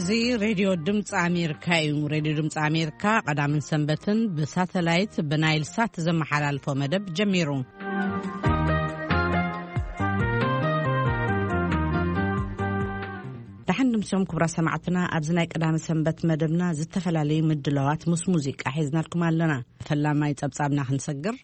እዚ ሬድዮ ድምፂ ኣሜሪካ እዩ። ሬድዮ ድምፂ ኣሜሪካ ቀዳምን ሰንበትን ብሳተላይት ብናይል ሳት ዘመሓላልፎ መደብ ጀሚሩ። ደሓን ድምሶም ክቡራ ሰማዕትና፣ ኣብዚ ናይ ቀዳመ ሰንበት መደብና ዝተፈላለዩ ምድላዋት ምስ ሙዚቃ ሒዝናልኩም ኣለና። ፈላማይ ጸብጻብና ክንሰግር።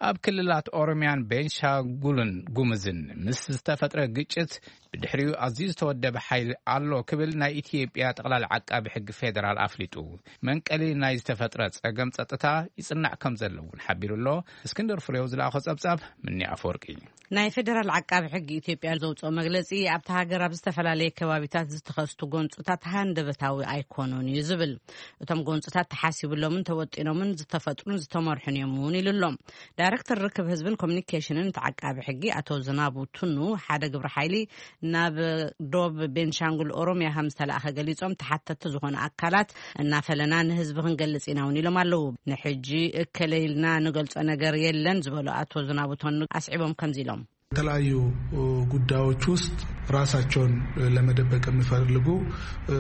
ኣብ ክልላት ኦሮሚያን ቤንሻንጉልን ጉምዝን ምስ ዝተፈጥረ ግጭት ብድሕሪኡ ኣዝዩ ዝተወደበ ሓይሊ ኣሎ ክብል ናይ ኢትዮጵያ ጠቕላሊ ዓቃቢ ሕጊ ፌዴራል ኣፍሊጡ። መንቀሊ ናይ ዝተፈጥረ ጸገም ጸጥታ ይጽናዕ ከም ዘሎ እውን ሓቢሩ ኣሎ። እስክንድር ፍሬው ዝለኣኾ ጸብጻብ ምኒ ኣፈወርቂ። ናይ ፌዴራል ዓቃቢ ሕጊ ኢትዮጵያ ዘውፅኦ መግለፂ ኣብቲ ሃገር ኣብ ዝተፈላለየ ከባቢታት ዝተኸስቱ ጎንፅታት ሃንደበታዊ ኣይኮኑን እዩ ዝብል። እቶም ጎንፅታት ተሓሲብሎምን ተወጢኖምን ዝተፈጥሩን ዝተመርሑን እዮም እውን ኢሉ ኣሎ። ዳይሬክተር ርክብ ህዝብን ኮሚኒኬሽንን እቲ ዓቃቢ ሕጊ ኣቶ ዝናቡ ቱኑ ሓደ ግብረ ሓይሊ ናብ ዶብ ቤንሻንጉል ኦሮሚያ ከም ዝተላእኸ ገሊፆም፣ ተሓተቲ ዝኾኑ ኣካላት እናፈለና ንህዝቢ ክንገልጽ ኢና እውን ኢሎም ኣለዉ። ንሕጂ እከለ ኢልና ንገልጾ ነገር የለን ዝበሉ ኣቶ ዝናቡ ቱኑ ኣስዒቦም ከምዚ ኢሎም። የተለያዩ ጉዳዮች ውስጥ ራሳቸውን ለመደበቅ የሚፈልጉ፣ እ፣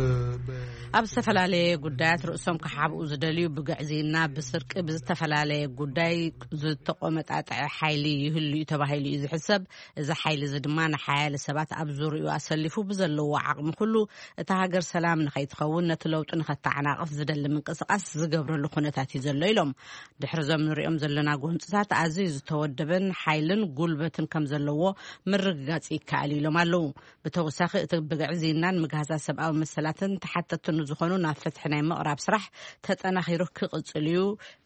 በ- ኣብ ዝተፈላለየ ጉዳያት ርእሶም ክሓብኡ ዝደልዩ፣ ብግዕዝይና፣ ብስርቂ፣ ብዝተፈላለየ ጉዳይ ዝተቆመጣጠዐ ሓይሊ ይህሉ እዩ ተባሂሉ እዩ ዝሕሰብ። እዚ ሓይሊ እዚ ድማ ንሓያለ ሰባት ኣብ ዙርያኡ ኣሰሊፉ ብዘለዎ ዓቕሚ ኩሉ እታ ሃገር ሰላም ንኸይትኸውን፣ ነቲ ለውጢ ንኸተዓናቕፍ ዝደሊ ምንቅስቓስ ዝገብረሉ ኩነታት እዩ ዘሎ ኢሎም። ድሕሪ እዞም ንሪኦም ዘለና ጎንፅታት ኣዝዩ ዝተወደበን ሓይልን ጉልበትን ከም ዘለዎ ምርግጋፅ ይከኣል ኢሎም ኣለዉ። ብተወሳኺ እቲ ብግዕዝይናን ምግሃሳት ሰብኣዊ መሰላትን ተሓተቲ ንዝኾኑ ናብ ፍትሒ ናይ ምቕራብ ስራሕ ተጠናኺሩ ክቕፅል እዩ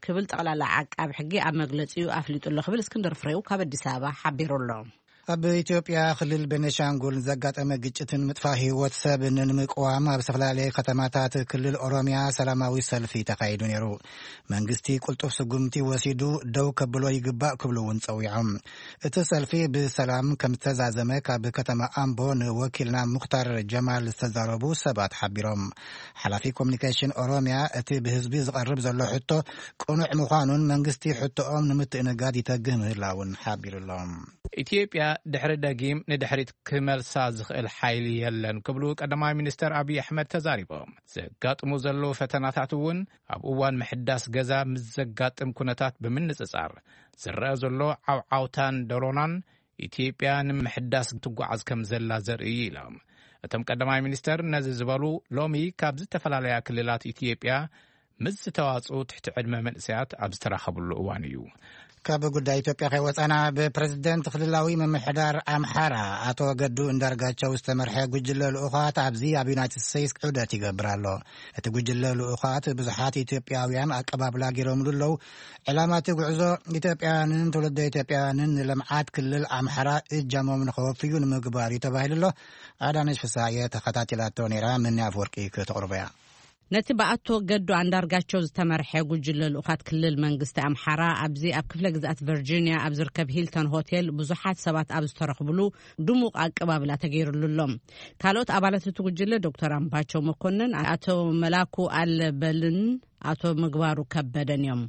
ክብል ጠቕላላ ዓቃቢ ሕጊ ኣብ መግለፂኡ ኣፍሊጡ ኣሎ ክብል እስክንድር ፍሬው ካብ ኣዲስ ኣበባ ሓቢሩ ኣሎ። ኣብ ኢትዮጵያ ክልል ቤኒሻንጉል ዘጋጠመ ግጭትን ምጥፋእ ህይወት ሰብን ንምቅዋም ኣብ ዝተፈላለየ ከተማታት ክልል ኦሮሚያ ሰላማዊ ሰልፊ ተኻይዱ ነይሩ። መንግስቲ ቅልጡፍ ስጉምቲ ወሲዱ ደው ከብሎ ይግባእ ክብሉ እውን ጸዊዖም። እቲ ሰልፊ ብሰላም ከም ዝተዛዘመ ካብ ከተማ ኣምቦ ንወኪልና ሙክታር ጀማል ዝተዛረቡ ሰባት ሓቢሮም። ሓላፊ ኮሚኒኬሽን ኦሮሚያ እቲ ብህዝቢ ዝቐርብ ዘሎ ሕቶ ቅኑዕ ምዃኑን መንግስቲ ሕቶኦም ንምትእንጋድ ይተግህ ምህላውን ሓቢሩሎም። ኢትዮጵያ ድሕሪ ደጊም ንድሕሪት ክመልሳ ዝኽእል ሓይሊ የለን ክብሉ ቀዳማይ ሚኒስተር ኣብይ ኣሕመድ ተዛሪቦም። ዘጋጥሙ ዘለዉ ፈተናታት እውን ኣብ እዋን ምሕዳስ ገዛ ምስ ዘጋጥም ኩነታት ብምንጽጻር ዝረአ ዘሎ ዓውዓውታን ደሮናን ኢትዮጵያ ንምሕዳስ ትጓዓዝ ከም ዘላ ዘርኢ እዩ ኢሎም። እቶም ቀዳማይ ሚኒስተር ነዚ ዝበሉ ሎሚ ካብ ዝተፈላለያ ክልላት ኢትዮጵያ ምስ ዝተዋጽኡ ትሕቲ ዕድመ መንእሰያት ኣብ ዝተራኸብሉ እዋን እዩ። ካብ ጉዳይ ኢትዮጵያ ከይወጻና፣ ብፕረዚደንት ክልላዊ ምምሕዳር ኣምሓራ ኣቶ ገዱ እንዳርጋቸው ዝተመርሐ ጉጅለ ልኡኻት ኣብዚ ኣብ ዩናይትድ ስቴትስ ዑደት ይገብር ኣሎ። እቲ ጉጅለ ልኡኻት ብዙሓት ኢትዮጵያውያን ኣቀባብላ ገይሮምሉ ኣለዉ። ዕላማ እቲ ጉዕዞ ኢትዮጵያውያንን ትውልደ ኢትዮጵያውያንን ንልምዓት ክልል ኣምሓራ እጃሞም ንኸወፍዩ ንምግባር እዩ ተባሂሉ ኣሎ። ኣዳነች ፍሳየ ተኸታቲላቶ ነይራ፣ ምኒ ኣፍወርቂ ከተቕርቦ እያ። ነቲ ብኣቶ ገዱ ኣንዳርጋቸው ዝተመርሐ ጉጅለ ልኡኻት ክልል መንግስቲ ኣምሓራ ኣብዚ ኣብ ክፍለ ግዝኣት ቨርጂኒያ ኣብ ዝርከብ ሂልተን ሆቴል ብዙሓት ሰባት ኣብ ዝተረኽብሉ ድሙቕ ኣቀባብላ ተገይሩሉ ኣሎ። ካልኦት ኣባላት እቲ ጉጅለ ዶክተር ኣምባቸው መኮንን፣ ኣቶ መላኩ ኣለበልን ኣቶ ምግባሩ ከበደን እዮም።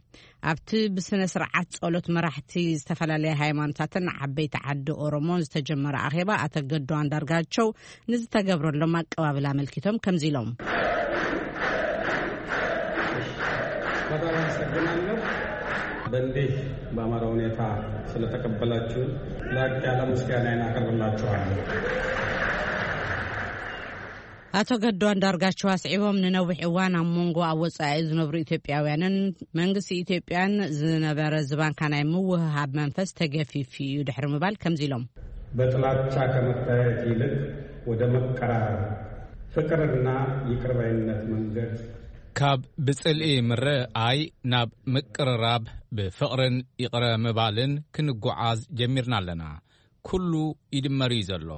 ኣብቲ ብስነ ስርዓት ጸሎት መራሕቲ ዝተፈላለያ ሃይማኖታትን ዓበይቲ ዓዲ ኦሮሞን ዝተጀመረ ኣኼባ ኣቶ ገዱ ኣንዳርጋቸው ንዝተገብረሎም ኣቀባብላ ኣመልኪቶም ከምዚ ኢሎም። በጣም አመሰግናለሁ። በእንዲህ በአማረ ሁኔታ ስለተቀበላችሁ ላቅ ያለ ምስጋናዬን አቀርብላችኋለሁ። ኣቶ ገዱ ኣንዳርጋቸው ኣስዒቦም፣ ንነዊሕ እዋን ኣብ መንጎ ኣብ ወጻኢ ዝነብሩ ኢትዮጵያውያንን መንግስቲ ኢትዮጵያን ዝነበረ ዝባንካ ናይ ምውህሃብ መንፈስ ተገፊፉ እዩ ድሕሪ ምባል ከምዚ ኢሎም። በጥላቻ ከመታየት ይልቅ ወደ መቀራረብ፣ ፍቅርና ይቅር ባይነት መንገድ ካብ ብጽልኢ ምርኣይ ናብ ምቅርራብ ብፍቕርን ይቕረ ምባልን ክንጓዓዝ ጀሚርና ኣለና። ኩሉ ይድመር እዩ ዘሎ።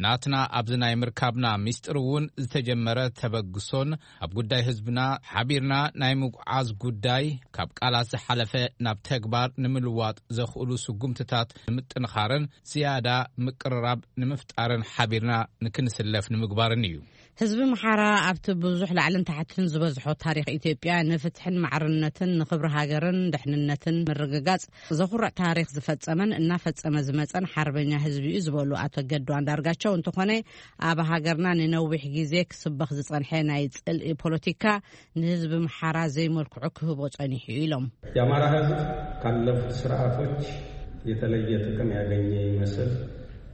ናትና ኣብዚ ናይ ምርካብና ሚስጥር እውን ዝተጀመረ ተበግሶን ኣብ ጉዳይ ህዝብና ሓቢርና ናይ ምጉዓዝ ጉዳይ ካብ ቃላት ዝሓለፈ ናብ ተግባር ንምልዋጥ ዘኽእሉ ስጉምትታት ንምጥንኻርን ዝያዳ ምቅርራብ ንምፍጣርን ሓቢርና ንክንስለፍ ንምግባርን እዩ። ህዝቢ ምሓራ ኣብቲ ብዙሕ ላዕልን ታሕትን ዝበዝሖ ታሪኽ ኢትዮጵያ ንፍትሕን ማዕርነትን ንኽብሪ ሃገርን ድሕንነትን ምርግጋጽ ዘኹርዕ ታሪኽ ዝፈጸመን እናፈጸመ ዝመጸን ሓርበኛ ህዝቢ እዩ ዝበሉ ኣቶ ገዱ ኣንዳርጋቸው፣ እንተኾነ፣ ኣብ ሃገርና ንነዊሕ ግዜ ክስበኽ ዝጸንሐ ናይ ጽልኢ ፖለቲካ ንህዝቢ ኣምሓራ ዘይመልክዑ ክህቦ ጸኒሑ ኢሎም። የአማራ ህዝብ ካለፉት ስርዓቶች የተለየ ጥቅም ያገኘ ይመስል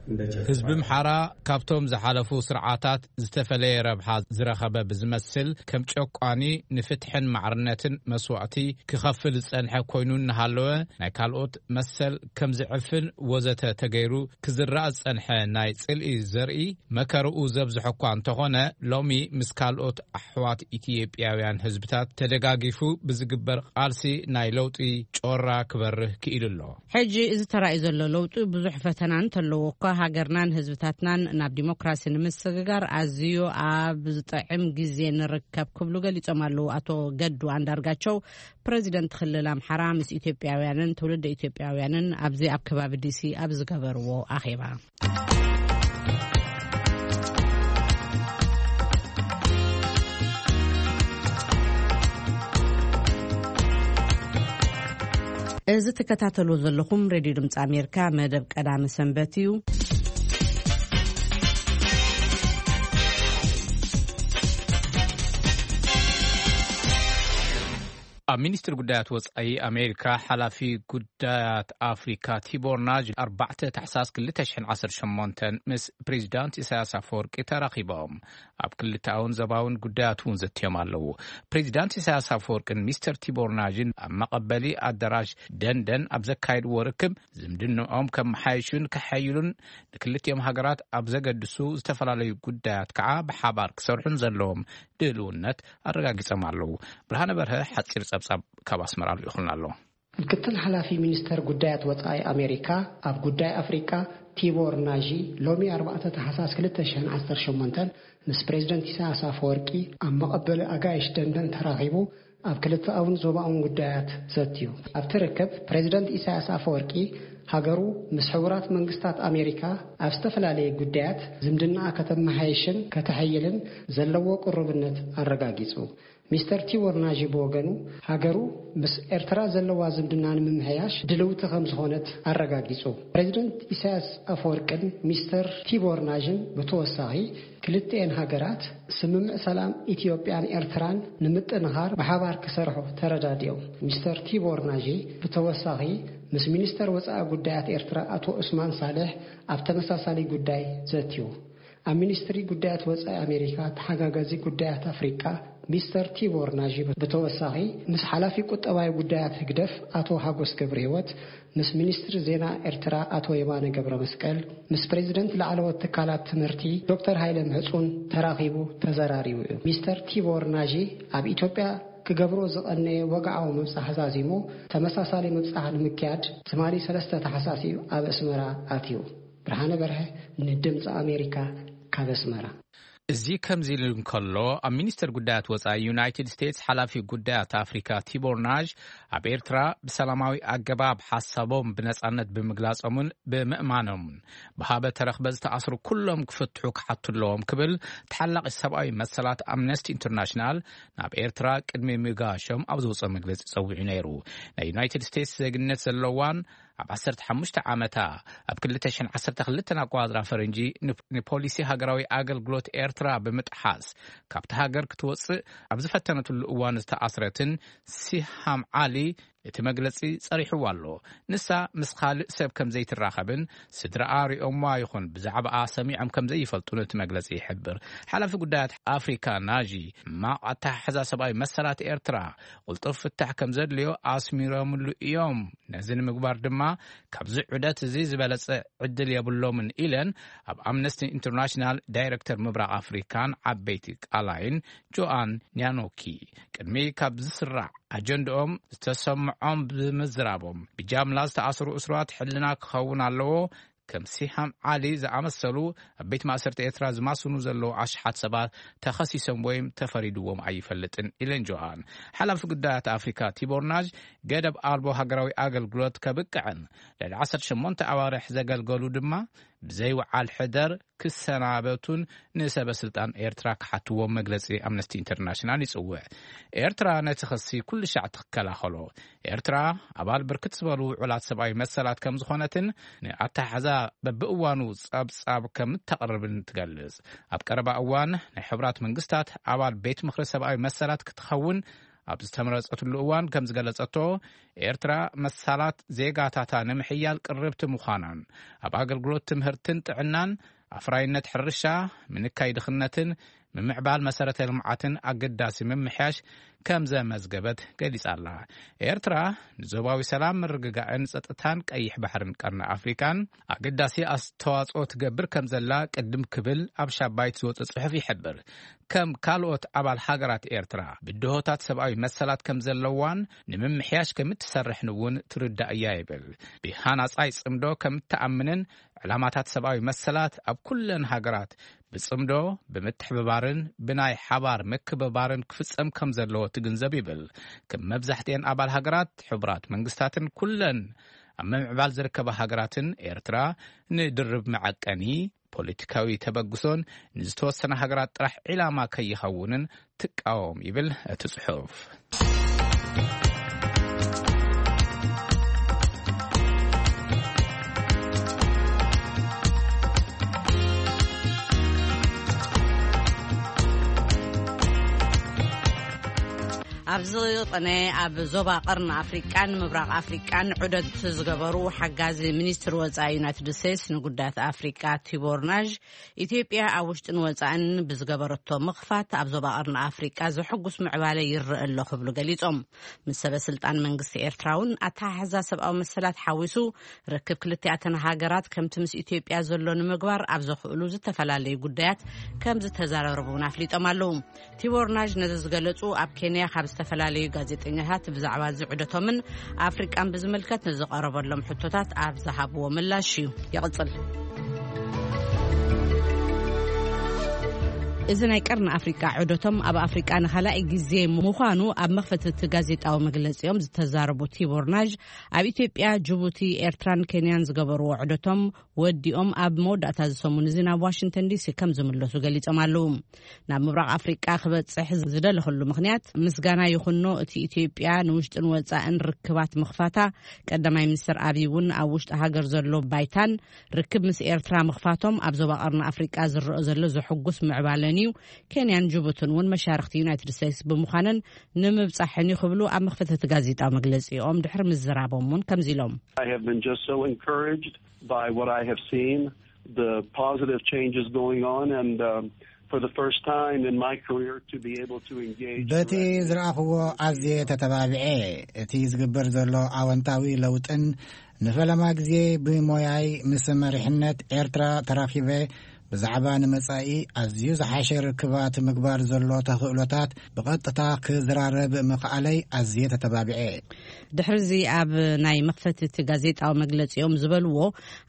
እንደ ጨቋኝ ህዝቢ ኣምሓራ ካብቶም ዝሓለፉ ስርዓታት ዝተፈለየ ረብሓ ዝረኸበ ብዝመስል ከም ጨቋኒ ንፍትሕን ማዕርነትን መስዋእቲ ክኸፍል ዝጸንሐ ኮይኑ እናሃለወ ናይ ካልኦት መሰል ከም ዝዕፍን ወዘተ ተገይሩ ክዝራእ ዝጸንሐ ናይ ጽልኢ ዘርኢ መከርኡ ዘብዝሐ እኳ እንተኾነ ሎሚ ምስ ካልኦት ኣሕዋት ኢትዮጵያውያን ህዝብታት ተደጋጊፉ ብዝግበር ቃልሲ ናይ ለውጢ ጮራ ክበርህ ክኢሉ ኣሎ። ሕጂ እዚ ተራእዩ ዘሎ ለውጢ ብዙሕ ፈተና እንተለዎ እኳ ሃገርናን ህዝብታትናን ናብ ዲሞክራሲ ንምስግጋር ኣዝዩ ኣብ ዝጥዕም ግዜ ንርከብ ክብሉ ገሊጾም ኣለዉ። ኣቶ ገዱ ኣንዳርጋቸው ፕረዚደንት ክልል ኣምሓራ ምስ ኢትዮጵያውያንን ትውልደ ኢትዮጵያውያንን ኣብዚ ኣብ ከባቢ ዲሲ ኣብ ዝገበርዎ ኣኼባ። እዚ ትከታተሉ ዘለኹም ሬድዮ ድምፂ ኣሜሪካ መደብ ቀዳሚ ሰንበት እዩ። ኣብ ሚኒስትሪ ጉዳያት ወጻኢ ኣሜሪካ ሓላፊ ጉዳያት ኣፍሪካ ቲቦር ናጅ ኣርባዕተ ታሕሳስ ክልተ ሽሕን ዓሰርተ ሸሞንተን ምስ ፕሬዚዳንት ኢሳያስ ኣፈወርቂ ተራኺቦም ኣብ ክልተኣውን ዘባውን ጉዳያት እውን ዘትዮም ኣለዉ። ፕሬዚዳንት ኢሳያስ ኣፈወርቅን ሚስተር ቲቦር ናጅን ኣብ መቐበሊ ኣዳራሽ ደንደን ኣብ ዘካየድዎ ርክብ ዝምድንኦም ከመሓይሹን ከሐይሉን ንክልቲኦም ሃገራት ኣብ ዘገድሱ ዝተፈላለዩ ጉዳያት ከዓ ብሓባር ክሰርሑን ዘለዎም ድልውነት ኣረጋጊጾም ኣለዉ። ብርሃነ በርሀ ሓጺር ጸብጻብ ካብ ኣስመራ ልኢኹልና ኣሎ። ምክትል ሓላፊ ሚኒስተር ጉዳያት ወጻኢ ኣሜሪካ ኣብ ጉዳይ ኣፍሪቃ ቲቦር ናዢ ሎሚ ኣርባዕተ ታሕሳስ ክልተ ሽሕን ዓሰርተ ሸሞንተን ምስ ፕሬዚደንት ኢሳያስ ኣፈወርቂ ኣብ መቐበሊ ኣጋይሽ ደንደን ተራኺቡ ኣብ ክልተኣውን ዞባውን ጉዳያት ዘትዩ። ኣብቲ ርክብ ፕሬዚደንት ኢሳያስ ኣፈወርቂ ሃገሩ ምስ ሕቡራት መንግስታት ኣሜሪካ ኣብ ዝተፈላለየ ጉዳያት ዝምድናኣ ከተመሓይሽን ከተሐይልን ዘለዎ ቅሩብነት ኣረጋጊጹ። ሚስተር ቲቦር ናዢ ብወገኑ ሃገሩ ምስ ኤርትራ ዘለዋ ዝምድና ንምምሕያሽ ድልውቲ ከም ዝኾነት ኣረጋጊጹ። ፕሬዚደንት ኢሳያስ ኣፈወርቅን ሚስተር ቲቦር ናዥን ብተወሳኺ ክልቲኤን ሃገራት ስምምዕ ሰላም ኢትዮጵያን ኤርትራን ንምጥንኻር ብሓባር ክሰርሑ ተረዳዲኦም። ሚስተር ቲቦር ናዢ ብተወሳኺ ምስ ሚኒስተር ወጻኢ ጉዳያት ኤርትራ ኣቶ ዑስማን ሳልሕ ኣብ ተመሳሳሊ ጉዳይ ዘትዩ። ኣብ ሚኒስትሪ ጉዳያት ወጻኢ ኣሜሪካ ተሓጋጋዚ ጉዳያት ኣፍሪቃ ሚስተር ቲቦር ናዢ ብተወሳኺ ምስ ሓላፊ ቁጠባዊ ጉዳያት ህግደፍ ኣቶ ሃጎስ ገብረ ህይወት፣ ምስ ሚኒስትሪ ዜና ኤርትራ ኣቶ የማነ ገብረ መስቀል፣ ምስ ፕሬዚደንት ላዕለዎት ትካላት ትምህርቲ ዶክተር ሃይለ ምሕጹን ተራኺቡ ተዘራሪቡ እዩ። ሚስተር ቲቦር ናዢ ኣብ ኢትዮጵያ ክገብሮ ዝቐነየ ወግዓዊ ምብጻሕ ዛዚሙ ተመሳሳሊ ምብጻሕ ንምክያድ ትማሊ ሰለስተ ታሕሳስ እዩ ኣብ ኣስመራ ኣትዩ። ብርሃነ በርሀ ንድምፂ ኣሜሪካ ካብ ኣስመራ። እዚ ከምዚ ኢሉ እንከሎ ኣብ ሚኒስተር ጉዳያት ወፃኢ ዩናይትድ ስቴትስ ሓላፊ ጉዳያት ኣፍሪካ ቲቦር ናዥ ኣብ ኤርትራ ብሰላማዊ ኣገባብ ሓሳቦም ብነፃነት ብምግላፆምን ብምእማኖምን ብሃበ ተረኽበ ዝተኣስሩ ኩሎም ክፍትሑ ክሓቱ ኣለዎም ክብል ተሓላቒ ሰብኣዊ መሰላት ኣምነስቲ ኢንተርናሽናል ናብ ኤርትራ ቅድሚ ምጋሾም ኣብ ዝወፀ መግለፂ ፀዊዑ ነይሩ። ናይ ዩናይትድ ስቴትስ ዜግነት ዘለዋን ኣብ ዓሰርተ ሓሙሽተ ዓመታ ኣብ ክልተ ሽሕን ዓሰርተ ክልተን ኣቆጻጽራ ፈረንጂ ን-፣ ንፖሊሲ ሃገራዊ ኣገልግሎት ኤርትራ ብምጥሓስ ካብቲ ሃገር ክትወጽእ ኣብ ዝፈተነትሉ እዋን ዝተኣስረትን ሲሃም ዓሊ እቲ መግለጺ ጸሪሕዋ ኣሎ። ንሳ ምስ ካልእ ሰብ ከም ዘይትራኸብን ስድራኣ ሪኦምዋ ይኹን ብዛዕባኣ ሰሚዖም ከም ዘይፈልጡን እቲ መግለጺ ይሕብር። ሓላፊ ጉዳያት ኣፍሪካ ናዢ ሕማቕ ኣተሓሕዛ ሰብኣዊ መሰላት ኤርትራ ቅልጡፍ ፍታሕ ከም ዘድልዮ ኣስሚሮምሉ እዮም። ነዚ ንምግባር ድማ ካብዚ ዑደት እዚ ዝበለጸ ዕድል የብሎምን ኢለን ኣብ ኣምነስቲ ኢንተርናሽናል ዳይረክተር ምብራቕ ኣፍሪካን ዓበይቲ ቃላይን ጆኣን ኒያኖኪ ቅድሚ ካብ ዝስራዕ ኣጀንድኦም ዝተሰምዖም ብምዝራቦም ብጃምላ ዝተኣስሩ እስራት ሕልና ክኸውን ኣለዎ። ከም ሲሃም ዓሊ ዝኣመሰሉ ኣብ ቤት ማእሰርቲ ኤርትራ ዝማስኑ ዘለዉ ኣሽሓት ሰባት ተኸሲሶም ወይም ተፈሪድዎም ኣይፈልጥን ኢለን ጆሃን። ሓላፊ ጉዳያት ኣፍሪካ ቲቦር ናዥ ገደብ ኣልቦ ሃገራዊ ኣገልግሎት ከብቅዕን ልዕሊ ዓሰርተ ሸሞንተ ኣዋርሕ ዘገልገሉ ድማ ብዘይወዓል ሕደር ክሰናበቱን ንሰበ ስልጣን ኤርትራ ክሓትዎም መግለጺ ኣምነስቲ ኢንተርናሽናል ይጽውዕ። ኤርትራ ነቲ ክሲ ኩሉ ሻዕ ትከላኸሎ። ኤርትራ ኣባል ብርክት ዝበሉ ውዑላት ሰብኣዊ መሰላት ከም ዝኾነትን ንኣተሓሕዛ በብእዋኑ ጸብጻብ ከም እተቕርብን ትገልጽ። ኣብ ቀረባ እዋን ናይ ሕቡራት መንግስታት ኣባል ቤት ምኽሪ ሰብኣዊ መሰላት ክትኸውን ኣብ ዝተመረጸትሉ እዋን ከም ዝገለጸቶ፣ ኤርትራ መሳላት ዜጋታታ ንምሕያል ቅርብቲ ምዃናን ኣብ ኣገልግሎት ትምህርትን ጥዕናን፣ ኣፍራይነት ሕርሻ፣ ምንካይ ድኽነትን ምምዕባል መሰረተ ልምዓትን ኣገዳሲ ምምሕያሽ ከም ዘመዝገበት ገሊጻ ኣላ። ኤርትራ ንዞባዊ ሰላም፣ ምርግጋእን ጸጥታን ቀይሕ ባሕርን ቀርኒ ኣፍሪቃን ኣገዳሲ ኣስተዋጽኦ ትገብር ከም ዘላ ቅድም ክብል ኣብ ሻባይት ዝወጸ ጽሑፍ ይሕብር። ከም ካልኦት ኣባል ሃገራት ኤርትራ ብድሆታት ሰብኣዊ መሰላት ከም ዘለዋን ንምምሕያሽ ከም እትሰርሕን እውን ትርዳእ እያ ይብል። ብሃናጻይ ጽምዶ ከም እትኣምንን ዕላማታት ሰብኣዊ መሰላት ኣብ ኩለን ሃገራት ብጽምዶ፣ ብምትሕብባርን ብናይ ሓባር ምክብባርን ክፍጸም ከም ዘለዎ ትግንዘብ ይብል። ከም መብዛሕትኤን ኣባል ሃገራት ሕቡራት መንግስታትን ኩለን ኣብ ምምዕባል ዝርከባ ሃገራትን፣ ኤርትራ ንድርብ መዐቀኒ ፖለቲካዊ ተበግሶን ንዝተወሰነ ሃገራት ጥራሕ ዒላማ ከይኸውንን ትቃወም ይብል እቲ ጽሑፍ። ኣብዚ ቅነ ኣብ ዞባ ቀርኒ ኣፍሪቃን ምብራቕ ኣፍሪቃን ዑደት ዝገበሩ ሓጋዚ ሚኒስትር ወጻኢ ዩናይትድ ስቴትስ ንጉዳያት ኣፍሪቃ ቲቦር ናዥ፣ ኢትዮጵያ ኣብ ውሽጥን ወጻእን ብዝገበረቶ ምኽፋት ኣብ ዞባ ቀርኒ ኣፍሪቃ ዘሐጉስ ምዕባለ ይረአ ኣሎ ክብሉ ገሊጾም። ምስ ሰበ ስልጣን መንግስቲ ኤርትራ እውን ኣተሓሕዛ ሰብኣዊ መሰላት ሓዊሱ ርክብ ክልቲኣተን ሃገራት ከምቲ ምስ ኢትዮጵያ ዘሎ ንምግባር ኣብ ዘኽእሉ ዝተፈላለዩ ጉዳያት ከም ዝተዘራረቡ እውን ኣፍሊጦም ኣለዉ። ቲቦር ናዥ ነዚ ዝገለጹ ኣብ ኬንያ ካብ ዝተፈላለዩ ጋዜጠኛታት ብዛዕባ እዚ ዑደቶምን ኣፍሪቃን ብዝምልከት ንዝቐረበሎም ሕቶታት ኣብ ዝሃብዎ ምላሽ እዩ። ይቕጽል። እዚ ናይ ቀርኒ ኣፍሪቃ ዑደቶም ኣብ ኣፍሪቃ ንኻልኣይ ግዜ ምዃኑ ኣብ መኽፈቲ እቲ ጋዜጣዊ መግለጺኦም ዝተዛረቡ ቲቦር ናዥ፣ ኣብ ኢትዮጵያ፣ ጅቡቲ፣ ኤርትራን ኬንያን ዝገበርዎ ዑደቶም ወዲኦም ኣብ መወዳእታ እዚ ሰሙን እዚ ናብ ዋሽንግተን ዲሲ ከም ዝምለሱ ገሊጾም ኣለዉ። ናብ ምብራቕ ኣፍሪቃ ክበጽሕ ዝደለኽሉ ምኽንያት ምስጋና ይኹኖ፣ እቲ ኢትዮጵያ ንውሽጥን ወጻእን ርክባት ምኽፋታ፣ ቀዳማይ ሚኒስትር ኣብይ እውን ኣብ ውሽጢ ሃገር ዘሎ ባይታን ርክብ ምስ ኤርትራ ምኽፋቶም ኣብ ዞባ ቀርኒ ኣፍሪቃ ዝረአ ዘሎ ዘሐጉስ ምዕባለን እዩ። ኬንያን ጅቡትን እውን መሻርኽቲ ዩናይትድ ስቴትስ ብምዃነን ንምብጻሕን እዩ ክብሉ ኣብ መኽፈቲ እቲ ጋዜጣዊ መግለጺኦም ድሕሪ ምዝራቦም እውን ከምዚ ኢሎም። I have been just so encouraged by what I have seen, the positive changes going on, and um, for the first time in my career to be able to engage በቲ directly ዝረኣኽዎ ኣዝየ ተተባቢዐ። እቲ ዝግበር ዘሎ ኣወንታዊ ለውጥን ንፈለማ ግዜ ብሞያይ ምስ መሪሕነት ኤርትራ ተራኺበ ብዛዕባ ንመጻኢ ኣዝዩ ዝሓሸ ርክባት ምግባር ዘሎ ተኽእሎታት ብቐጥታ ክዝራረብ ምኽኣለይ ኣዝየ ተተባቢዐ። ድሕርዚ ኣብ ናይ መኽፈቲ እቲ ጋዜጣዊ መግለጺኦም ዝበልዎ፣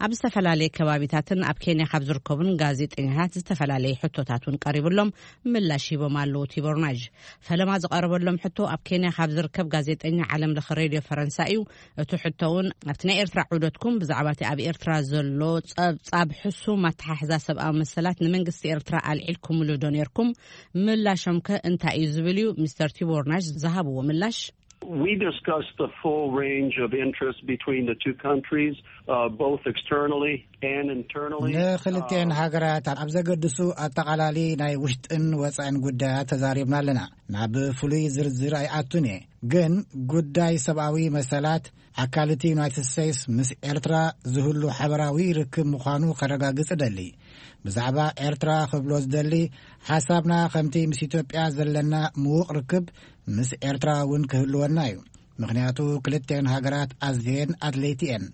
ኣብ ዝተፈላለየ ከባቢታትን ኣብ ኬንያ ካብ ዝርከቡን ጋዜጠኛታት ዝተፈላለየ ሕቶታት እውን ቀሪብሎም ምላሽ ሂቦም ኣለዉ። ቲቦር ናዥ ፈለማ ዝቐረበሎም ሕቶ ኣብ ኬንያ ካብ ዝርከብ ጋዜጠኛ ዓለም ለኸ ሬድዮ ፈረንሳ እዩ። እቲ ሕቶ እውን ኣብቲ ናይ ኤርትራ ዑደትኩም ብዛዕባ እቲ ኣብ ኤርትራ ዘሎ ጸብጻብ ሕሱም ኣተሓሕዛ ሰብኣዊ መሰላት ንመንግስቲ ኤርትራ ኣልዒልኩምሉ ዶ ነርኩም? ምላሾም ከ እንታይ እዩ ዝብል እዩ። ሚስተር ቲቦር ናሽ ዝሃብዎ ምላሽ። We discussed the full range of interest between the two countries, uh, both externally and internally. ንክልቲኤን ሃገራት ኣብ ዘገድሱ ኣጠቓላሊ ናይ ውሽጥን ወጻእን ጉዳያት ተዛሪብና ኣለና። ናብ ፍሉይ ዝርዝር ኣይኣቱን እየ፣ ግን ጉዳይ ሰብኣዊ መሰላት ኣካል እቲ ዩናይትድ ስቴትስ ምስ ኤርትራ ዝህሉ ሓበራዊ ርክብ ምዃኑ ከረጋግጽ እደሊ። ብዛዕባ ኤርትራ ክብሎ ዝደሊ፣ ሓሳብና ከምቲ ምስ ኢትዮጵያ ዘለና ምዉቕ ርክብ ምስ ኤርትራ እውን ክህልወና እዩ። ምኽንያቱ ክልቲኤን ሃገራት ኣዝየን ኣድለይቲ እየን።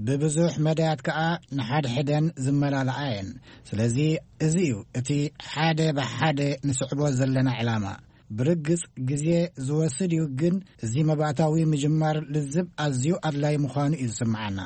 ብብዙሕ መዳያት ከኣ ንሓድሕደን ዝመላልኣ እየን። ስለዚ እዚ እዩ እቲ ሓደ ብሓደ ንስዕቦ ዘለና ዕላማ። ብርግጽ ግዜ ዝወስድ እዩ፣ ግን እዚ መባእታዊ ምጅማር ልዝብ ኣዝዩ ኣድላዪ ምዃኑ እዩ ዝስምዓና።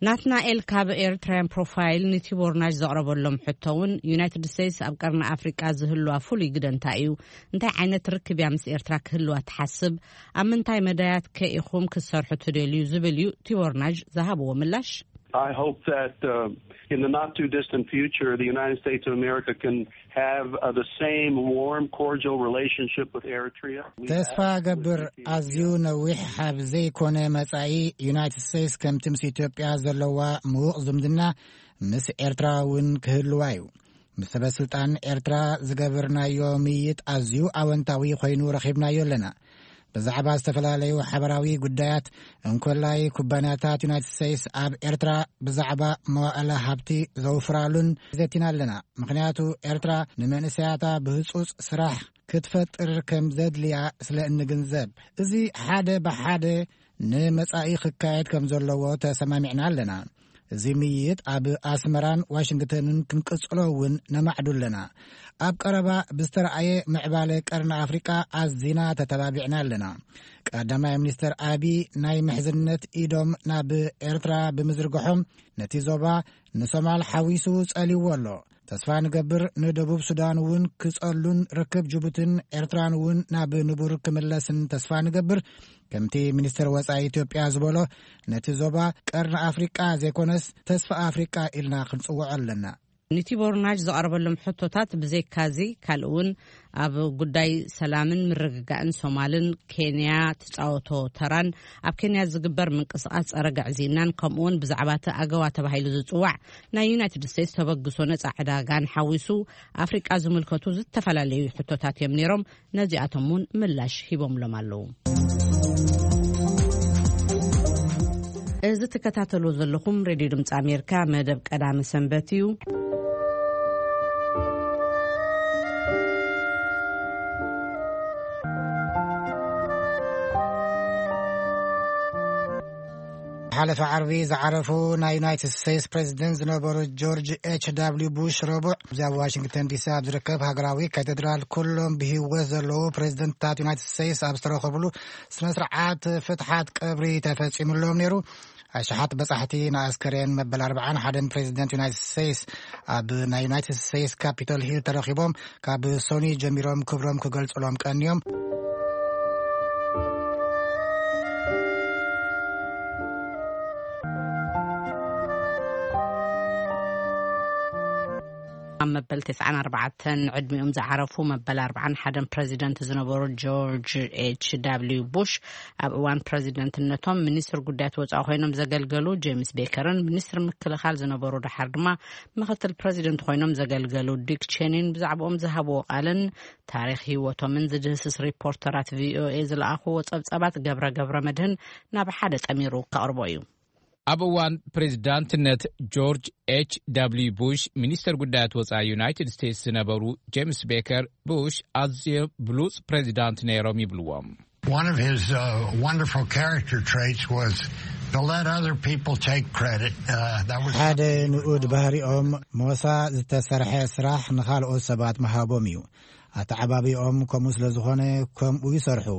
ናትናኤል ካብ ኤርትራያን ፕሮፋይል ንቲቦር ናሽ ዘቕረበሎም ሕቶ እውን፣ ዩናይትድ ስቴትስ ኣብ ቀርኒ ኣፍሪቃ ዝህልዋ ፍሉይ ግደ እንታይ እዩ? እንታይ ዓይነት ርክብ እያ ምስ ኤርትራ ክህልዋ ትሓስብ? ኣብ ምንታይ መዳያት ከ ኢኹም ክትሰርሑ ትደልዩ? ዝብል እዩ ቲቦር ናሽ ዝሃብዎ ምላሽ። I hope that uh, in the not too distant future, the United States of America can have uh, the same warm, cordial relationship with Eritrea. We ተስፋ have with ገብር Ethiopia. ኣዝዩ ነዊሕ ኣብ ዘይኮነ መጻኢ፣ ዩናይትድ ስቴትስ ከምቲ ምስ ኢትዮጵያ ዘለዋ ምዉቕ ዝምድና ምስ ኤርትራ እውን ክህልዋ እዩ። ምስ ሰበ ስልጣን ኤርትራ ዝገበርናዮ ምይይጥ ኣዝዩ ኣወንታዊ ኮይኑ ረኺብናዮ ኣለና። ብዛዕባ ዝተፈላለዩ ሓበራዊ ጉዳያት፣ እንኮላይ ኩባንያታት ዩናይትድ ስቴትስ ኣብ ኤርትራ ብዛዕባ መዋእለ ሃብቲ ዘውፍራሉን ዘቲና ኣለና። ምኽንያቱ ኤርትራ ንመንእሰያታ ብህጹጽ ስራሕ ክትፈጥር ከም ዘድልያ ስለ እንግንዘብ፣ እዚ ሓደ ብሓደ ንመጻኢ ክካየድ ከም ዘለዎ ተሰማሚዕና ኣለና። እዚ ምይይጥ ኣብ ኣስመራን ዋሽንግተንን ክንቅጽሎ እውን ነማዕዱ ኣለና። ኣብ ቀረባ ብዝተረኣየ ምዕባለ ቀርኒ ኣፍሪቃ ኣዚና ተተባቢዕና ኣለና። ቀዳማይ ሚኒስተር ኣቢ ናይ ምሕዝነት ኢዶም ናብ ኤርትራ ብምዝርግሖም፣ ነቲ ዞባ ንሶማል ሓዊሱ ጸልይዎ ኣሎ። ተስፋ ንገብር ንደቡብ ሱዳን እውን ክጸሉን ርክብ ጅቡትን ኤርትራን እውን ናብ ንቡር ክምለስን ተስፋ ንገብር። ከምቲ ሚኒስተር ወጻኢ ኢትዮጵያ ዝበሎ፣ ነቲ ዞባ ቀርኒ ኣፍሪቃ ዘይኮነስ ተስፋ ኣፍሪቃ ኢልና ክንጽውዖ ኣለና። ኒቲ ቦርናጅ ዘቕረበሎም ሕቶታት ብዘይካዚ፣ ካልእ እውን ኣብ ጉዳይ ሰላምን ምርግጋእን ሶማልን ኬንያ ትጻወቶ ተራን፣ ኣብ ኬንያ ዝግበር ምንቅስቓስ ጸረ ግዕዝይናን፣ ከምኡ እውን ብዛዕባ እቲ ኣገዋ ተባሂሉ ዝጽዋዕ ናይ ዩናይትድ ስቴትስ ተበግሶ ነጻ ዕዳጋን ሓዊሱ ኣፍሪቃ ዝምልከቱ ዝተፈላለዩ ሕቶታት እዮም ነይሮም። ነዚኣቶም እውን ምላሽ ሂቦምሎም ኣለዉ። እዚ ትከታተሉ ዘለኹም ሬድዮ ድምፂ ኣሜሪካ መደብ ቀዳመ ሰንበት እዩ። ሓለፈ ዓርቢ ዝዓረፉ ናይ ዩናይትድ ስቴትስ ፕሬዚደንት ዝነበሩ ጆርጅ ኤች ዳብሊው ቡሽ ረቡዕ ኣብዚ ኣብ ዋሽንግተን ዲሲ ኣብ ዝርከብ ሃገራዊ ካቴድራል ኩሎም ብህይወት ዘለዉ ፕሬዚደንትታት ዩናይትድ ስቴትስ ኣብ ዝተረኸብሉ ስነ ስርዓት ፍትሓት ቀብሪ ተፈጺሙሎም ነይሩ። ኣሽሓት በጻሕቲ ንኣስከሬን መበል ኣርባዓን ሓደን ፕሬዚደንት ዩናይትድ ስቴትስ ኣብ ናይ ዩናይትድ ስቴትስ ካፒቶል ሂል ተረኺቦም ካብ ሶኒ ጀሚሮም ክብሮም ክገልጹሎም ቀንዮም። ኣብ መበል ተስዓን ኣርባዕተን ዕድሚኦም ዝዓረፉ መበል ኣርባዓን ሓደን ፕሬዚደንት ዝነበሩ ጆርጅ ኤች ዳብሊው ቡሽ፣ ኣብ እዋን ፕሬዚደንትነቶም ሚኒስትር ጉዳያት ወጻኢ ኮይኖም ዘገልገሉ ጄምስ ቤከርን ሚኒስትር ምክልኻል ዝነበሩ፣ ድሓር ድማ ምክትል ፕሬዚደንት ኮይኖም ዘገልገሉ ዲክ ቼኒን ብዛዕባኦም ዝሃብዎ ቃልን ታሪኽ ህይወቶምን ዝድህስስ ሪፖርተራት ቪኦኤ ዝለኣኽዎ ጸብጻባት ገብረ ገብረ መድህን ናብ ሓደ ጠሚሩ ከቕርቦ እዩ። ኣብ እዋን ፕሬዚዳንትነት ጆርጅ ኤች ዳብሊው ቡሽ፣ ሚኒስተር ጉዳያት ወጻኢ ዩናይትድ ስቴትስ ዝነበሩ ጄምስ ቤከር፣ ቡሽ ኣዝዮም ብሉጽ ፕሬዚዳንት ነይሮም ይብልዎም። One of his uh, wonderful character traits was to let other people take credit. Uh, that was ሓደ ንኡድ ባህሪኦም፣ ሞሳ ዝተሰርሐ ስራሕ ንኻልኦት ሰባት ምሃቦም እዩ። ኣተዓባቢኦም ከምኡ ስለ ዝኾነ፣ ከምኡ ይሰርሑ።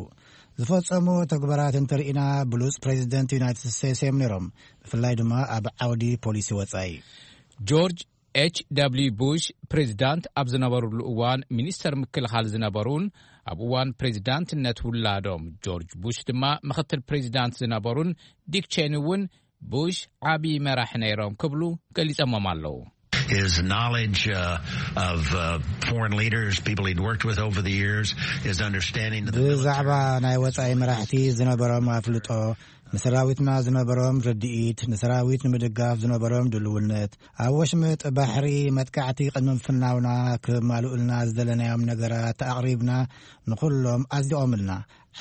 ዝፈጸሙ ተግባራት እንተርኢና፣ ብሉጽ ፕሬዚደንት ዩናይትድ ስቴትስ እዮም ነይሮም፣ ብፍላይ ድማ ኣብ ዓውዲ ፖሊሲ ወጻኢ። ጆርጅ ኤች ደብሊው ቡሽ ፕሬዚዳንት ኣብ ዝነበሩሉ እዋን፣ ሚኒስተር ምክልኻል ዝነበሩን ኣብ እዋን ፕሬዚዳንትነት ውላዶም ጆርጅ ቡሽ ድማ ምኽትል ፕሬዚዳንት ዝነበሩን ዲክ ቼኒ እውን፣ ቡሽ ዓቢ መራሒ ነይሮም ክብሉ ገሊጸሞም ኣለዉ። His knowledge uh, of uh, foreign leaders, people he'd worked with over the years, his understanding of the military. ብዛዕባ ናይ ወጻኢ መራሕቲ ዝነበሮም ኣፍልጦ፣ ንሰራዊትና ዝነበሮም ርድኢት፣ ንሰራዊት ንምድጋፍ ዝነበሮም ድልውነት፣ ኣብ ወሽመጥ ባሕሪ መጥቃዕቲ ቅድሚ ምፍናውና፣ ክማልኡልና ዝደለናዮም ነገራት ኣቕሪብና፣ ንኹሎም ኣጽዲቖምልና።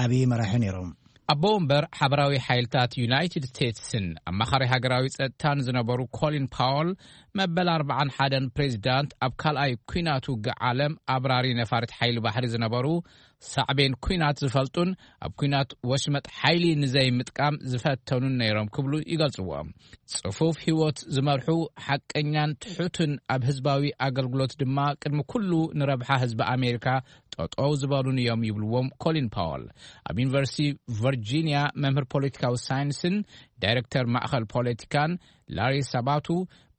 ዓቢ መራሒ ነይሮም። ኣቦ ወንበር ሓበራዊ ሓይልታት ዩናይትድ ስቴትስን ኣማኻሪ ሃገራዊ ጸጥታን ዝነበሩ ኮሊን ፓወል፣ መበል ኣርባዓን ሓደን ፕሬዚዳንት፣ ኣብ ካልኣይ ኲናት ውግእ ዓለም ኣብራሪ ነፋሪት ሓይሊ ባሕሪ ዝነበሩ፣ ሳዕቤን ኲናት ዝፈልጡን ኣብ ኲናት ወሽመጥ ሓይሊ ንዘይምጥቃም ዝፈተኑን ነይሮም ክብሉ ይገልጽዎ። ጽፉፍ ህይወት ዝመርሑ፣ ሓቀኛን ትሑትን፣ ኣብ ህዝባዊ ኣገልግሎት ድማ ቅድሚ ኩሉ ንረብሓ ህዝቢ ኣሜሪካ ጠጠው ዝበሉን እዮም ይብልዎም ኮሊን ፓወል። ኣብ ዩኒቨርሲቲ ቨርጂኒያ መምህር ፖለቲካዊ ሳይንስን ዳይሬክተር ማእኸል ፖለቲካን ላሪ ሳባቱ፣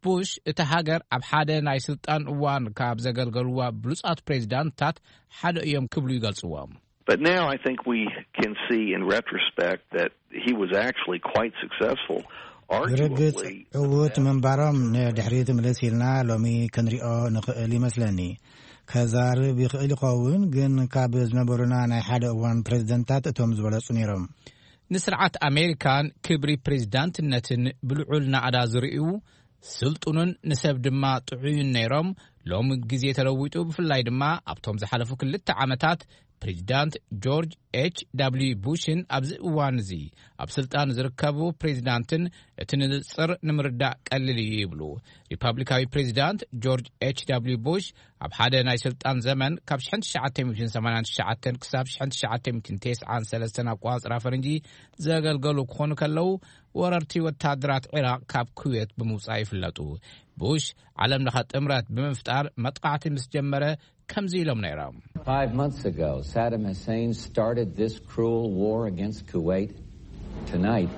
ቡሽ እታ ሃገር ኣብ ሓደ ናይ ስልጣን እዋን ካብ ዘገልገሉዋ ብሉጻት ፕሬዚዳንትታት ሓደ እዮም ክብሉ ይገልጽዎም። But now I think we can see in retrospect that he was actually quite successful. ብርግጽ ዕዉት ምንባሮም ንድሕሪት ምልስ ኢልና ሎሚ ክንሪኦ ንኽእል ይመስለኒ። ከዛርብ ይኽእል ይኸውን፣ ግን ካብ ዝነበሩና ናይ ሓደ እዋን ፕሬዝደንታት እቶም ዝበለጹ ነይሮም። ንስርዓት ኣሜሪካን ክብሪ ፕሬዝዳንትነትን ብልዑል ናእዳ ዝርእዩ፣ ስልጡንን ንሰብ ድማ ጥዑይን ነይሮም። ሎሚ ግዜ ተለዊጡ፣ ብፍላይ ድማ ኣብቶም ዝሓለፉ ክልተ ዓመታት ፕሬዚዳንት ጆርጅ ኤች ደብልዩ ቡሽን ኣብዚ እዋን እዚ ኣብ ስልጣን ዝርከቡ ፕሬዚዳንትን እቲ ንጽር ንምርዳእ ቀሊል እዩ ይብሉ። ሪፐብሊካዊ ፕሬዚዳንት ጆርጅ ኤች ደብልዩ ቡሽ ኣብ ሓደ ናይ ስልጣን ዘመን ካብ ሽሕን ትሽዓተ ሚእትን ሰማንያን ትሽዓተን ክሳብ ሽሕን ትሽዓተ ሚእትን ተስዓን ሰለስተን ኣቋጽራ ፈረንጂ ዘገልገሉ ክኾኑ ከለዉ፣ ወረርቲ ወታደራት ዒራቕ ካብ ኩዌት ብምውጻእ ይፍለጡ። ቡሽ ዓለም ለኸ ጥምረት ብምፍጣር መጥቃዕቲ ምስ ጀመረ ከምዚ ኢሎም ነይሮም። Five months ago, Saddam Hussein started this cruel war against Kuwait. Tonight,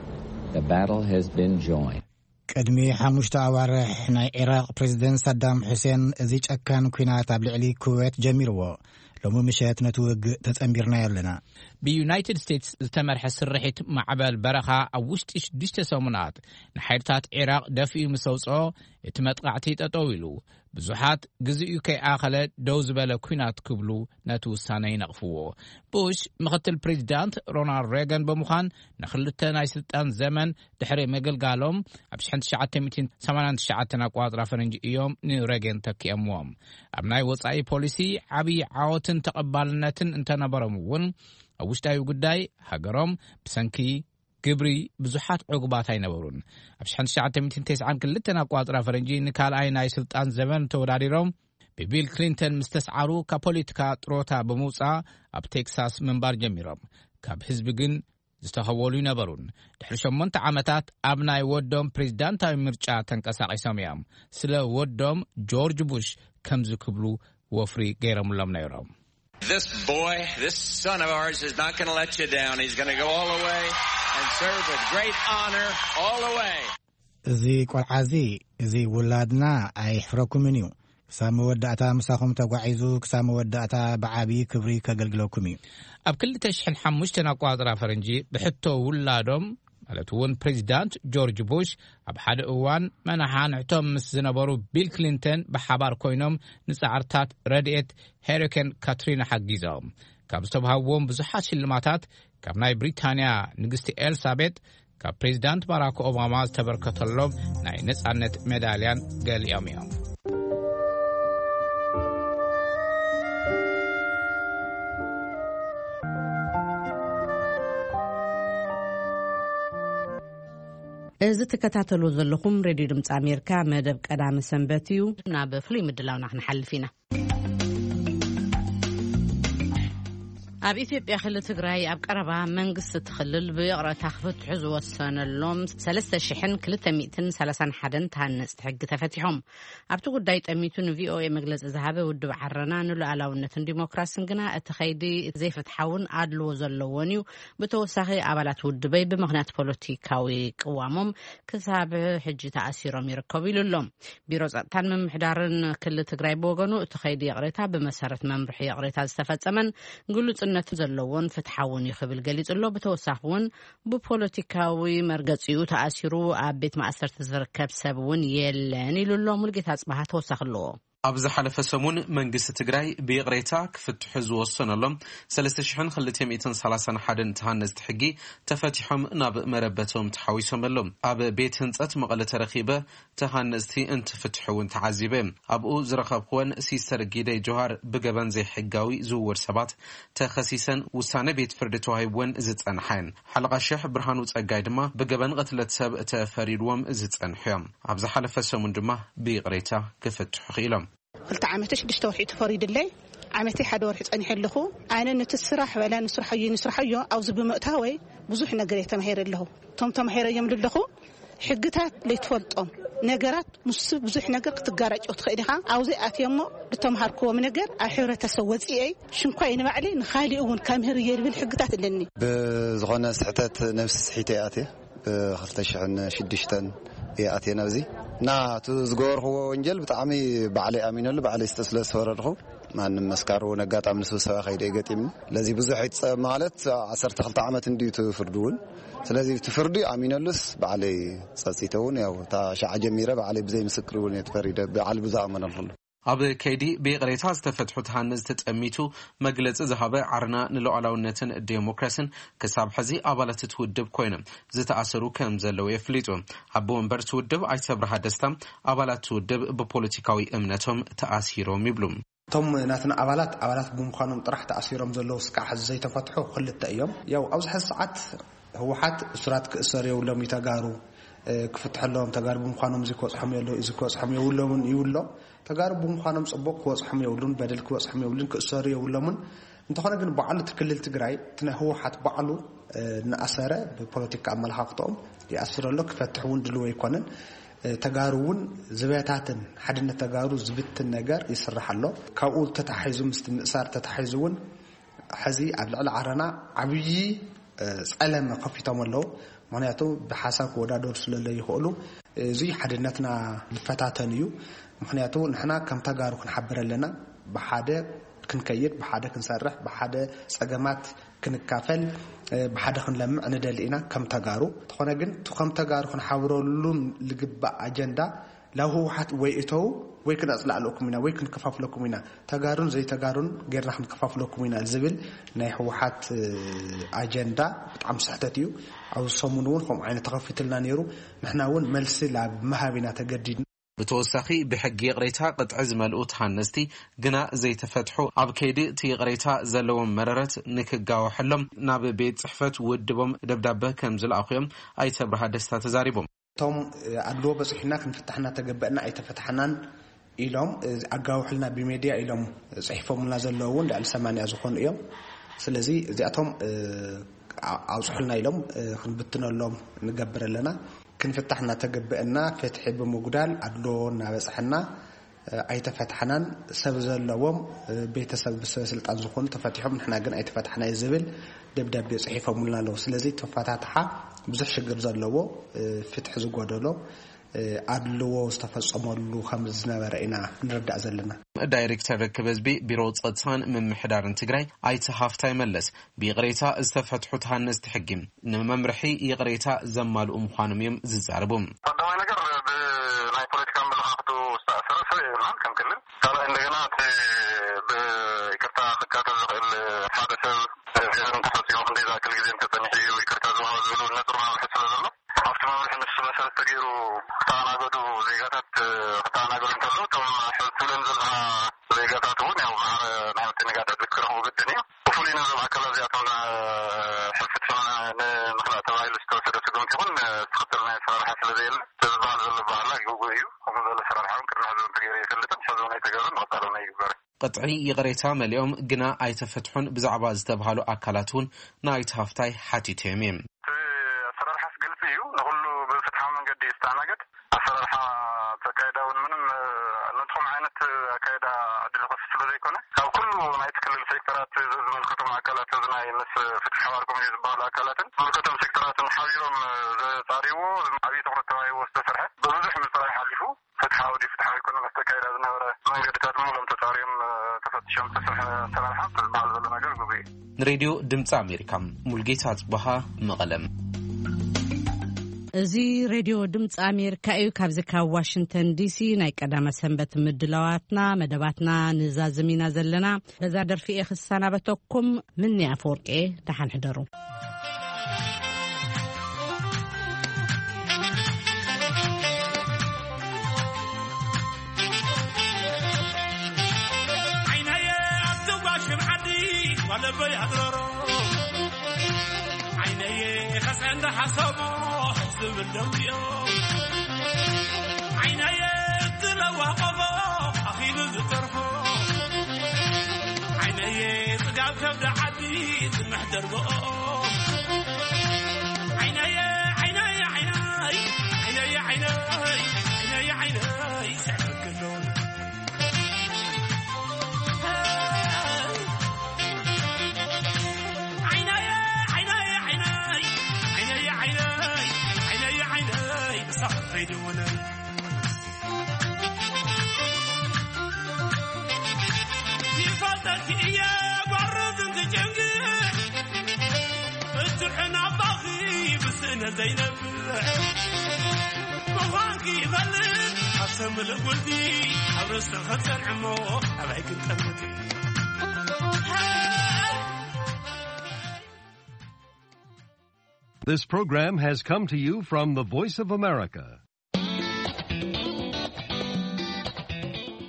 the battle has been joined. ቅድሚ ሓሙሽተ ኣዋርሕ ናይ ዒራቕ ፕሬዚደንት ሳዳም ሑሴን እዚ ጨካን ኲናት ኣብ ልዕሊ ኩዌት ጀሚርዎ። ሎሚ ምሸት ነቲ ውግእ ተጸንቢርናዮ ኣለና። ብዩናይትድ ስቴትስ ዝተመርሐ ስርሒት ማዕበል በረኻ ኣብ ውሽጢ ሽዱሽተ ሰሙናት ንሓይልታት ዒራቕ ደፊኡ ምስ ኣውጽኦ፣ እቲ መጥቃዕቲ ጠጠው ኢሉ። ብዙሓት ግዜኡ ከይኣኸለ ደው ዝበለ ኲናት ክብሉ ነቲ ውሳነ ይነቕፍዎ። ቡሽ ምኽትል ፕሬዚዳንት ሮናልድ ሬገን ብምዃን ንኽልተ ናይ ስልጣን ዘመን ድሕሪ ምግልጋሎም ኣብ ሽሕን ትሽዓተ ሚእትን ሰማንያን ትሽዓተን ኣቋጽራ ፈረንጂ እዮም ንሬገን ተኪኦምዎም። ኣብ ናይ ወጻኢ ፖሊሲ ዓብዪ ዓወትን ተቐባልነትን እንተነበሮም እውን ኣብ ውሽጣዊ ጉዳይ ሃገሮም ብሰንኪ ግብሪ ብዙሓት ዕጉባት ኣይነበሩን። ኣብ ሽሕን ትሽዓተ ሚእትን ተስዓን ክልተን ኣቋጽራ ፈረንጂ ንካልኣይ ናይ ስልጣን ዘመን ተወዳዲሮም ብቢል ክሊንተን ምስ ተስዓሩ ካብ ፖለቲካ ጥሮታ ብምውጻእ ኣብ ቴክሳስ ምንባር ጀሚሮም። ካብ ህዝቢ ግን ዝተኸወሉ ይነበሩን። ድሕሪ ሸሞንተ ዓመታት ኣብ ናይ ወዶም ፕሬዚዳንታዊ ምርጫ ተንቀሳቒሶም እዮም። ስለ ወዶም ጆርጅ ቡሽ ከምዚ ክብሉ ወፍሪ ገይሮምሎም ነይሮም። This boy, this son of ours is not going to let you down. He's going to go all the way and serve with great honor all the way. እዚ ቆልዓ እዚ፣ እዚ ውላድና ኣይሕፍረኩምን እዩ። ክሳብ መወዳእታ ምሳኹም ተጓዒዙ፣ ክሳብ መወዳእታ ብዓብዪ ክብሪ ከገልግለኩም እዩ። ኣብ ክልተ ሽሕን ሓሙሽተን ኣቋጽራ ፈረንጂ ብሕቶ ውላዶም፣ ማለት እውን ፕሬዚዳንት ጆርጅ ቡሽ፣ ኣብ ሓደ እዋን መናሓ ንዕቶም ምስ ዝነበሩ ቢል ክሊንተን ብሓባር ኮይኖም ንጻዕርታት ረድኤት ሄሪኬን ካትሪና ሓጊዞም። ካብ ዝተባህዎም ብዙሓት ሽልማታት፣ ካብ ናይ ብሪታንያ ንግስቲ ኤልሳቤጥ፣ ካብ ፕሬዚዳንት ባራክ ኦባማ ዝተበርከተሎም ናይ ነጻነት ሜዳልያን ገሊኦም እዮም። እዚ ትከታተሉ ዘለኹም ሬድዮ ድምፂ ኣሜሪካ መደብ ቀዳመ ሰንበት እዩ። ናብ ፍሉይ ምድላውና ክንሓልፍ ኢና። ኣብ ኢትዮጵያ ክልል ትግራይ ኣብ ቀረባ መንግስቲ እቲ ክልል ብይቕረታ ክፍትሑ ዝወሰነሎም ሰለስተ ሽሕን ክልተ ሚእትን ሰላሳን ሓደን ተሃነፅቲ ሕጊ ተፈቲሖም። ኣብቲ ጉዳይ ጠሚቱ ን ቪ ኦ ኤ መግለፂ ዝሃበ ውድብ ዓረና ንሉኣላውነትን ዲሞክራስን ግና እቲ ከይዲ ዘይፍትሓውን ኣድልዎ ዘለዎን እዩ። ብተወሳኺ ኣባላት ውድበይ ብምኽንያት ፖለቲካዊ ቅዋሞም ክሳብ ሕጂ ተኣሲሮም ይርከቡ ኢሉ ኣሎ። ቢሮ ጸጥታን ምምሕዳርን ክልል ትግራይ ብወገኑ እቲ ከይዲ ይቕሬታ ብመሰረት መምርሒ ይቕሬታ ዝተፈጸመን ግሉጽነት ዘለዎን ፍትሓውን እዩ ክብል ገሊጹ ኣሎ። ብተወሳኺ እውን ብፖለቲካዊ መርገጺኡ ተኣሲሩ ኣብ ቤት ማእሰርቲ ዝርከብ ሰብ እውን የለን ኢሉ ኣሎ። ሙልጌታ ኣጽባሃ ተወሳኺ ኣለዎ። ኣብ ዝሓለፈ ሰሙን መንግስቲ ትግራይ ብይቕሬታ ክፍትሑ ዝወሰነሎም ሰለስተ ሽሕን ክልተ ሚእትን ሰላሳን ሓደን ተሃነፅቲ ሕጊ ተፈቲሖም ናብ መረበቶም ተሓዊሶም ኣለዉ። ኣብ ቤት ህንፀት መቐለ ተረኺበ ተሃነፅቲ እንትፍትሑ እውን ተዓዚበ። ኣብኡ ዝረኸብኩወን ሲስተር ጊደይ ጆሃር ብገበን ዘይሕጋዊ ዝውውር ሰባት ተኸሲሰን ውሳነ ቤት ፍርዲ ተዋሂብወን ዝጸንሓ እየን። ሓለቓ ሽሕ ብርሃኑ ጸጋይ ድማ ብገበን ቅትለት ሰብ ተፈሪድዎም ዝጸንሑ እዮም። ኣብ ዝሓለፈ ሰሙን ድማ ብይቕሬታ ክፍትሑ ክኢሎም። ክልተ ዓመተ ሽዱሽተ ወርሒ ተፈሪዱለይ፣ ዓመተይ ሓደ ወርሒ ጸኒሐ ኣለኹ። ኣነ ነቲ ስራሕ በላ ንስርሖዮ ንስርሖዮ ኣብዚ ብምእታወይ ብዙሕ ነገር እየ ተማሂረ ኣለኹ። እቶም ተማሂረዮም ዘለኹ ሕግታት ለይትፈልጦም ነገራት ምስ ብዙሕ ነገር ክትጋራጮ ትኽእል ኢኻ። ኣብዚ ኣትየ እሞ ዝተምሃርክዎም ነገር ኣብ ሕብረተሰብ ወፂኤ ሽንኳይ ንባዕለይ ንኻሊእ እውን ከምህር እየ ዝብል ሕግታት ኣለኒ። ብዝኾነ ስሕተት ነብሲ ስሒተ እየ ኣትየ። ብኽልተ ሽሕን ሽዱሽተን እየ ኣትየ ናብዚ። እና እቲ ዝገበርክዎ ወንጀል ብጣዕሚ ባዕለይ ኣሚነሉ፣ ባዕለይ ስለ ዝተፈረድኹ ማንም መስካሪ እውን ኣጋጣሚ ንስብሰባ ከይደ ገጢምኒ። ስለዚ ብዙሕ ይፀ ማለት ዓሰርተ ክልተ ዓመት እንድዩ እቲ ፍርዲ እውን። ስለዚ እቲ ፍርዲ ኣሚነሉስ ባዕለይ ፀፂተ እውን ያው እታ ሻዓ ጀሚረ ባዕለይ ብዘይ ምስክር እውን እየ ተፈሪደ፣ ባዕሊ ብዝኣመነሉ። ኣብ ከይዲ ብይቕሬታ ዝተፈትሑ ተሃነፅቲ ተጠሚቱ መግለፂ ዝሃበ ዓረና ንሉዓላውነትን ዴሞክራሲን፣ ክሳብ ሕዚ ኣባላት እቲ ውድብ ኮይኖም ዝተኣሰሩ ከም ዘለዉ የፍሊጡ። ኣቦ ወንበር እቲ ውድብ ኣይተ ኣብርሃ ደስታ፣ ኣባላት እቲ ውድብ ብፖለቲካዊ እምነቶም ተኣሲሮም ይብሉ። እቶም ናትና ኣባላት፣ ኣባላት ብምዃኖም ጥራሕ ተኣሲሮም ዘለዉ እስካዕ ሕዚ ዘይተፈትሑ ክልተ እዮም። ያው ኣብዚ ሕዚ ሰዓት ህወሓት እሱራት ክእሰሩ የብሎም እዩ፣ ተጋሩ፣ እ፣ ክፍትሐሎም፣ ተጋሩ ብምዃኖም እዚ ክበጽሖም የለ-፣ እዚ ክበጽሖም የብሎምን ይብሎ። ተጋሩ ብምዃኖም ጽቡቕ ክበጽሖም የብሉን፣ በደል ክበጽሖም የብሉን፣ ክእሰሩ የብሎምን። እንተኾነ ግን ባዕሉ እቲ ክልል ትግራይ፣ እቲ ናይ ህወሓት ባዕሉ፣ እ፣ እናኣሰረ ብፖለቲካ ኣመለኻኽትኦም ይኣስር ኣሎ፣ ክፈትሕ እውን ድልው ኣይኮነን። እ፣ ተጋሩ እውን ዝበታትን ሓድነት ተጋሩ ዝብትን ነገር ይስራሕ ኣሎ። ካብኡ ተታሒዙ ምስቲ ምእሳር ተታሒዙ እውን ሕዚ ኣብ ልዕሊ ዓረና ዓብዪ፣ እ፣ ጸለመ ከፊቶም ኣለዉ። ምኽንያቱ ብሓሳብ ክወዳደሩ ስለ ዘይኽእሉ፣ እዚ ሓድነትና ዝፈታተን እዩ። ምኽንያቱ ንሕና ከም ተጋሩ ክንሓብር ኣለና። ብሓደ ክንከይድ፣ ብሓደ ክንሰርሕ፣ ብሓደ ጸገማት ክንካፈል፣ እ፣ ብሓደ ክንለምዕ ንደሊ ኢና ከም ተጋሩ። እንተኾነ ግን እቲ ከም ተጋሩ ክንሓብረሉን ዝግባእ ኣጀንዳ ላብ ህወሓት ወይ እተው ወይ ክነጽላእለኩም ኢና ወይ ክንከፋፍለኩም ኢና። ተጋሩን ዘይተጋሩን ጌርና ክንከፋፍለኩም ኢና ዝብል ናይ ህወሓት፣ እ፣ ኣጀንዳ ብጣዕሚ ስሕተት እዩ። ኣብዚ ሰሙን እውን ከምኡ ዓይነት ተኸፊትልና ነይሩ። ንሕና እውን መልሲ ላብ ምሃብ ኢና ተገዲድና። ብተወሳኺ ብሕጊ ይቕሬታ ቅጥዒ ዝመልኡ ተሃነስቲ ግና ዘይተፈትሑ፣ ኣብ ከይዲ እቲ ይቕሬታ ዘለዎም መረረት ንክጋወሐሎም ናብ ቤት ጽሕፈት ውድቦም ደብዳበ ከም ዝለኣኹ እዮም ኣይተ ኣብርሃ ደስታ ተዛሪቦም። እቶም፣ እ፣ ኣድልዎ በጺሑና ክንፍታሕ እናተገበእና ኣይተፈታሕናን ኢሎም፣ እ፣ ኣጋውሕልና ብሜድያ ኢሎም ጽሒፎምልና ዘለዉ እውን ልዕሊ ሰማንያ ዝኾኑ እዮም። ስለዚ እዚኣቶም፣ እ፣ ኣ-፣ ኣውጽሑልና ኢሎም፣ እ፣ ክንብትነሎም ንገብር ኣለና። ክንፍታሕ እናተገበእና ፍትሒ ብምጉዳል ኣድልዎ እናበጽሐና፣ እ፣ ኣይተፈታሕናን። ሰብ ዘለዎም፣ እ፣ ቤተሰብ ብሰበ ስልጣን ዝኾኑ ተፈቲሖም፣ ንሕና ግን ኣይተፈታሕናይ ዝብል ደብዳቤ ጽሒፎምልና ኣለዉ። ስለዚ ተፈታትሓ ብዙሕ ሽግር ዘለዎ፣ እ፣ ፍትሒ ዝጎደሎ፣ እ፣ ኣድልዎ ዝተፈጸመሉ ከም ዝነበረ ኢና ንርዳእ ዘለና። ዳይሬክተር ርክብ ህዝቢ ቢሮ ጸጥታን ምምሕዳርን ትግራይ ኣይተ ሃፍታይ መለስ፣ ብይቕሬታ ዝተፈትሑ ተሃነፅቲ ሕጊ ንመምርሒ ይቕሬታ ዘማልኡ ምዃኖም እዮም ዝዛረቡ። ቀዳማይ ነገር ብናይ ፖለቲካ ኣመለኻኽቱ ዝተኣሰረ ሰብ የብልናን ከም ክልል። ካልኣይ እንደገና እቲ ብይቅርታ ክካተት ዝኽእል ሓደ ሰብ ገበን እንተፈፂሙ ክንደይ ዝኣክል ግዜ እንተፀኒሑ እዩ ይቅርታ ዝወሃብ ዝብሉ ነጥብ መምርሒ ስለ ዘሎ ኣብቲ መምርሒ ንሱ መሰረት ተገይሩ ክተኣናገዱ ዜጋታት ክተኣናገዱ እንተለዉ እቶም ሕዚ ትብለን ዘለኻ ዜጋታት እውን ያው ማዕረ ናይ ወዲ ነጋዳት ክረኽቡ ግድን እዩ። ብፍሉይ ነዞም ኣካላት እዚኣቶም ሕፍትሕና ንምኽላእ ተባሂሉ ዝተወሰደ ስጉምቲ ይኹን ዝኽተል ናይ ኣሰራርሓ ስለ ዘየለ እቲ ዝበሃል ዘሎ ባህላ ግጉ እዩ። ከምኡ ዝበለ ኣሰራርሓ እውን ቅድሚ ሕዚ እውን ተገይሩ ኣይፈልጥን፣ ሕዚ እውን ኣይተገብረን፣ ንቐፃሊ እውን ኣይግበርን። ቅጥዒ ይቕሬታ መሊኦም ግና ኣይተፈትሑን ብዛዕባ ዝተብሃሉ ኣካላት እውን ንኣይተ ሃፍታይ ሓቲቶም እዮም። እቲ ኣሰራርሓስ ግልፂ እዩ። ንኹሉ ብፍትሓዊ መንገዲ እዩ ዝተኣናገድ። ኣሰራርሓ እቲ ኣካይዳ እውን ምንም፣ እ፣ ነቲ ከምኡ ዓይነት ኣካይዳ ዕድል ይኸፍት ስለ ዘይኮነ፣ ካብ ኩሉ ናይቲ ክልል ሴክተራት ዝምልከቶም ኣካላት፣ እዚ ናይ ምስ ፍትሒ ሓባር ኮሚቴ ዝበሃሉ ኣካላትን ዝምልከቶም ሴክተራትን ሓቢሮም፣ እ፣ ዘጻርይዎ፣ ዓብዪ ትኹረት ተባሂዎ ዝተሰርሐ፣ ብብዙሕ ምጽራይ ሓሊፉ፣ ፍትሓዊ ድዩ ፍትሓዊ ኣይኮነን፣ ኣብቲ ኣካይዳ ዝነበረ መንገድታት ምሉኦም ተጻርዮም፣ እ፣ ተፈቲሾም ዝተሰርሐ ኣሰራርሓ፣ እቲ ዝበሃል ዘሎ ነገር ግጉይ እዩ። ንሬድዮ ድምፂ ኣሜሪካ፣ ሙልጌታ ጽበሃ፣ መቐለም። እዚ ሬድዮ ድምፂ ኣሜሪካ እዩ። ካብዚ ካብ ዋሽንግተን ዲሲ ናይ ቀዳመ ሰንበት ምድላዋትና፣ መደባትና ንዛዝም ኢና ዘለና። በዛ ደርፊ እየ ክሰናበተኩም። ምኒ ኣፈወርቂ፣ ደሓን ሕደሩ። ዓይነየ ኣብቲ ጓሽም ዓዲ ጓለበይ ኣድረሮ ዓይነየ ከፀንዳ ሓሰቦ ዝብል ደምዮ ዓይነየ እትለዋ ቆፎ ኣኺሉ ዝተርፎ ዓይነየ ፅጋብ ከብዲ ዓዲ ዝምሕደር ብኦ ዓይነየ ዓይነየ ዓይነይ ዓይነየ ዓይነይ ዓይነየ ዓይነይ ስዕበክሎ ዘይነብዕ ምዃንኪ ይፈልጥ። ኣብ ሰምል ጉልቲ ኣብ ርእስኺ ክጸንዕ እሞ ኣበይ ክንጠምት? This program has come to you from the Voice of America.